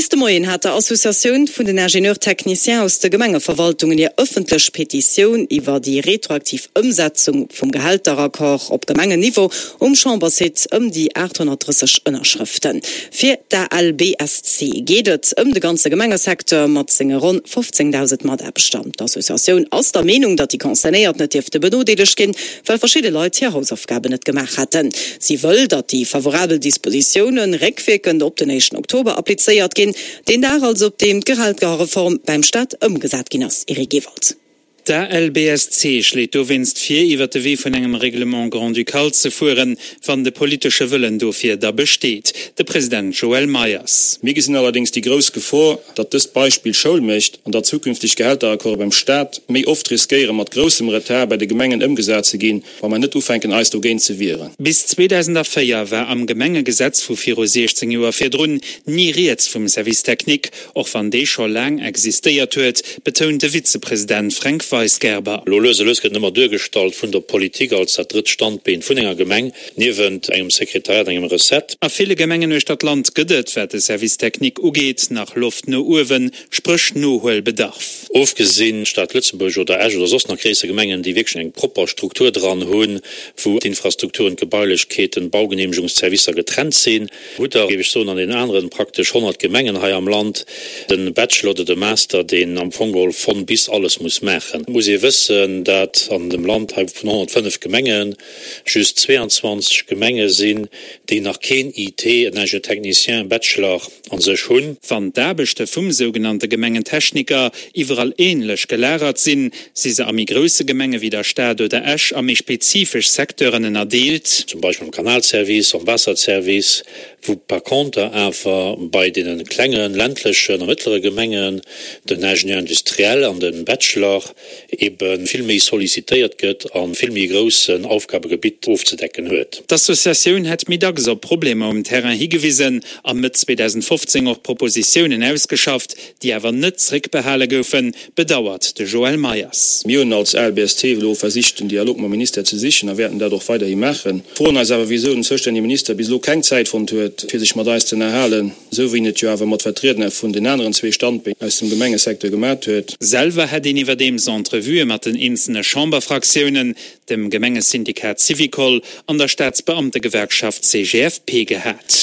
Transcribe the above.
Bis de Moien hat der Associatioun vun den Ingénieurs techniciens aus de Gemengeverwaltungen hir ëffentlech Petitioun iwwer déi retroaktiv Ëmsetzung vum Gehälteraccord op Gemengenniveau um Chambersite ëm déi 830 Ënnerschrëften. Fir d'ALBSC geet et ëm de ganze Gemengesecteur mat senge ronn 15.000 Mataarbechter. D'Associatioun ass der Meenung, datt déi Concernéiert net dierfte benodeelegt ginn, well verschidde Leit hir Hausaufgaben net gemaach hätten. Si wëll, datt déi favorabel Dispositioune réckwierkend op den éischten Oktober applizéiert ginn, deen Dag also, op deem d'Gehaltgereform beim Staat ëmgesat ginn ass. Eric Ewald. D'ALBSC schléit dowéinst vir, iwwer de Wee vun engem Règlement grand-ducal ze fueren, wann de politesche Wëllen dofir da besteet. De President Joël Meyers. Mir gesinn allerdéngs déi grouss Gefor, datt dëst Beispill Schoul mécht an datt zukünfteg Gehälteraccorde beim Staat méi oft riskéiere mat groussem Retard bei de Gemengen ëmgesat ze ginn, wa mer net ufänken eis dogéint ze wieren. Bis 2004 war am Gemengegesetz vu viru 16 Joer virdrun ni rieds vum Service technique, och wann dee scho laang existéiert huet, betount de Vizepresident Fränk Weisgerber. Elo lues a lues gëtt en ëmmer duergestallt vun der Politik als dat drëtt Standbeen vun enger Gemeng. Niewent engem Sekretariat, engem Recette. A ville Gemengen uechter d'Land gëtt et, wat de Service technique ugeet, nach Loft no uewen, spréch Nohuelbedarf. Ofgesinn d'Stad Lëtzebuerg oder Esch oder soss nach gréisser Gemengen, déi wierklech eng propper Struktur dran hunn, wou d'Infrastrukturen, d'Gebailechkeeten, d'Baugenehmegungsservicer getrennt sinn, hutt Der, géif ech soen, an deenen aneren praktesch 100 Gemengen hei am Land de Bachelor oder de Master, deen am Fong geholl von bis alles muss maachen. Et muss ee wëssen, dat an dem Land hei vun 105 Gemengen, just 22 Gemenge sinn, déi nach keen IT, en Ingénieur technicien, Bachelor a sech hunn. Wann d'Aarbechte vum sougenannte Gemengen-Techniker iwwerall änlech gelagert sinn, si se a méi grousse Gemenge wéi der Stad oder Esch a méi spezifesch Secteuren ënnerdeelt. Zum Beispill am Kanalservice, am Waasserservice, wou par conter awer bei deene klengen, ländlechen a mëttlere Gemengen den Ingénieur industriel an de Bachelor ebe vill méi sollicitéiert gëtt a vill méi e groussen Aufgabegebitt ofzedecken huet. D'Associatioun hätt méi dacks op Problemer um Terrain higewisen a Mëtt 2015 och Propositiounen ausgeschafft, déi awer net zréckbehale goufen, bedauert de Joël Meyers. Mir hunn als ALBST elo versicht, den Dialog mam Ministère ze sichen a wäerten dat och weiderhi maachen. Froen eis awer, wisou den zoustännege Minister bis elo keng Zäit fonnt huet, fir sech mat eis ze ënnerhalen. Esou wéi en et jo awer mat Vertriedner vun den aneren zwee Standbeen aus dem Gemengesecteur gemat huet. Selwer hätt een iwwerdeems Entrevuë mat den eenzelne Chamberfraktiounen, dem Gemengesyndikat Syvicol an der Staatsbeamtegewerkschaft CGFP gehat.